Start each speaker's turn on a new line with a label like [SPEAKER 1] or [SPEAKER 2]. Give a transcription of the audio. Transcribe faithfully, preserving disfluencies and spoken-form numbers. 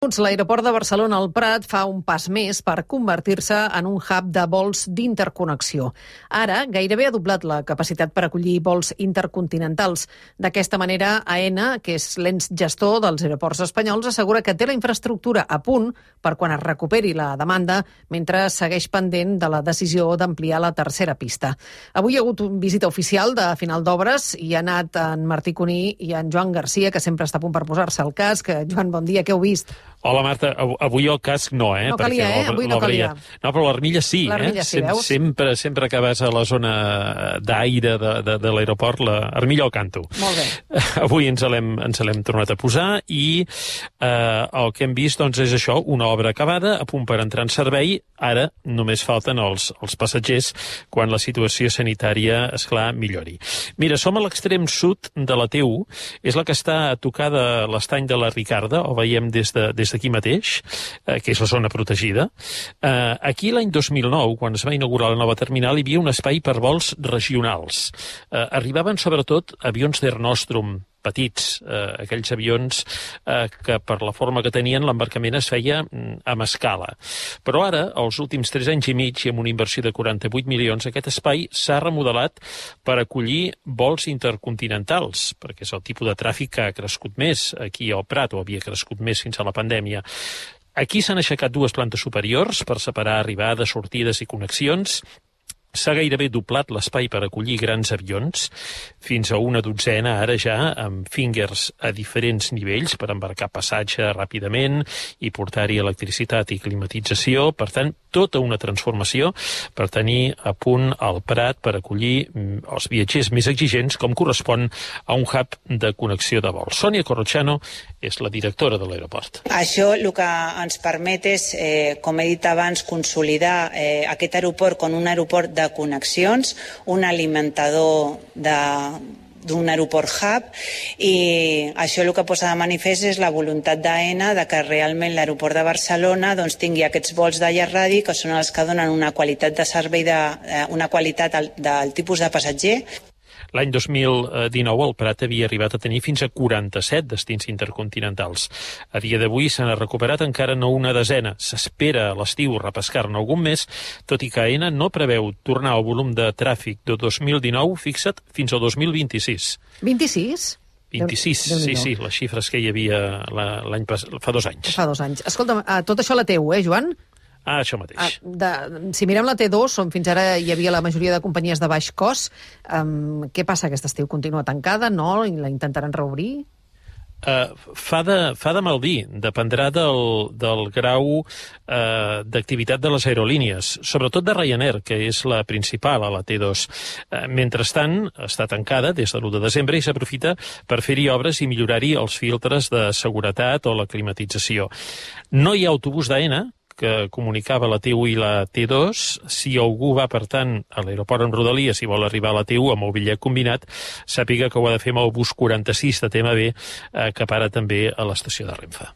[SPEAKER 1] L'aeroport de Barcelona al Prat fa un pas més per convertir-se en un hub de vols d'interconnexió. Ara gairebé ha doblat la capacitat per acollir vols intercontinentals. D'aquesta manera, AENA, que és l'ens gestor dels aeroports espanyols, assegura que té la infraestructura a punt per quan es recuperi la demanda, mentre segueix pendent de la decisió d'ampliar la tercera pista. Avui hi ha hagut una visita oficial de final d'obres i ha anat en Martí Cuní i en Joan Garcia, que sempre està a punt per posar-se al casc. Joan, bon dia, què heu vist?
[SPEAKER 2] Hola, Marta. Avui el casc no, eh?
[SPEAKER 1] No calia, eh? Avui no calia.
[SPEAKER 2] No, però l'armilla sí, eh?
[SPEAKER 1] L'armilla sí, veus?
[SPEAKER 2] Sempre, sempre que vas a la zona d'aire de, de, de l'aeroport, l'armilla al canto.
[SPEAKER 1] Molt bé.
[SPEAKER 2] Avui ens l'hem ens l'hem tornat a posar i eh, el que hem vist, doncs, és això, una obra acabada, a punt per entrar en servei. Ara només falten els, els passatgers quan la situació sanitària, esclar, millori. Mira, som a l'extrem sud de la T u, és la que està tocada l'estany de la Ricarda, o veiem des de des d'aquí mateix, eh, que és la zona protegida. Eh, aquí l'any dos mil nou, quan es va inaugurar la nova terminal, hi havia un espai per vols regionals. Eh, arribaven sobretot avions d'Air Nostrum, petits, eh, aquells avions eh, que per la forma que tenien l'embarcament es feia mm, amb escala. Però ara, els últims tres anys i mig, i amb una inversió de quaranta-vuit milions, aquest espai s'ha remodelat per acollir vols intercontinentals, perquè és el tipus de tràfic que ha crescut més aquí al Prat, o havia crescut més fins a la pandèmia. Aquí s'han aixecat dues plantes superiors per separar arribades, sortides i connexions. S'ha gairebé doblat l'espai per acollir grans avions, fins a una dotzena ara ja, amb fingers a diferents nivells per embarcar passatge ràpidament i portar-hi electricitat i climatització. Per tant, tota una transformació per tenir a punt el Prat per acollir els viatgers més exigents, com correspon a un hub de connexió de vol. Sònia Corrochano és la directora de l'aeroport.
[SPEAKER 3] Això el que ens permet és, eh, com he dit abans, consolidar eh, aquest aeroport com un aeroport de connexions, un alimentador de d'un aeroport hub, i això el que posa de manifest és la voluntat d'AENA de que realment l'aeroport de Barcelona doncs, tingui aquests vols de llarg radi que són els que donen una qualitat de servei, de, una qualitat del, del tipus de passatger.
[SPEAKER 2] L'any dos mil dinou el Prat havia arribat a tenir fins a quaranta-set destins intercontinentals. A dia d'avui se n'ha recuperat encara no una desena. S'espera a l'estiu repescar-ne algun més, tot i que AENA no preveu tornar al volum de tràfic de dos mil dinou, fixa't, fins al dos mil vint-i-sis.
[SPEAKER 1] vint-i-sis?
[SPEAKER 2] vint-i-sis, sí, sí, les xifres que hi havia l'any passat, fa dos anys.
[SPEAKER 1] Fa dos anys. Escolta'm, tot això a la T u, eh, Joan?
[SPEAKER 2] Ah, això mateix.
[SPEAKER 1] Ah, de, si mirem la T dos, on fins ara hi havia la majoria de companyies de baix cost, um, què passa? Aquest estiu continua tancada, no? I la intentaran reobrir?
[SPEAKER 2] Uh, fa, de, fa de mal dir, dependrà del, del grau uh, d'activitat de les aerolínies, sobretot de Ryanair, que és la principal a la T dos. Uh, mentrestant, està tancada des de l'u de desembre i s'aprofita per fer-hi obres i millorar-hi els filtres de seguretat o la climatització. No hi ha autobús d'AENA, que comunicava la T u i la T dos. Si algú va, per tant, a l'aeroport en Rodalies i vol arribar a la T u amb el bitllet combinat, sàpiga que ho ha de fer amb el bus quaranta-sis de T M B, eh, que para també a l'estació de Renfe.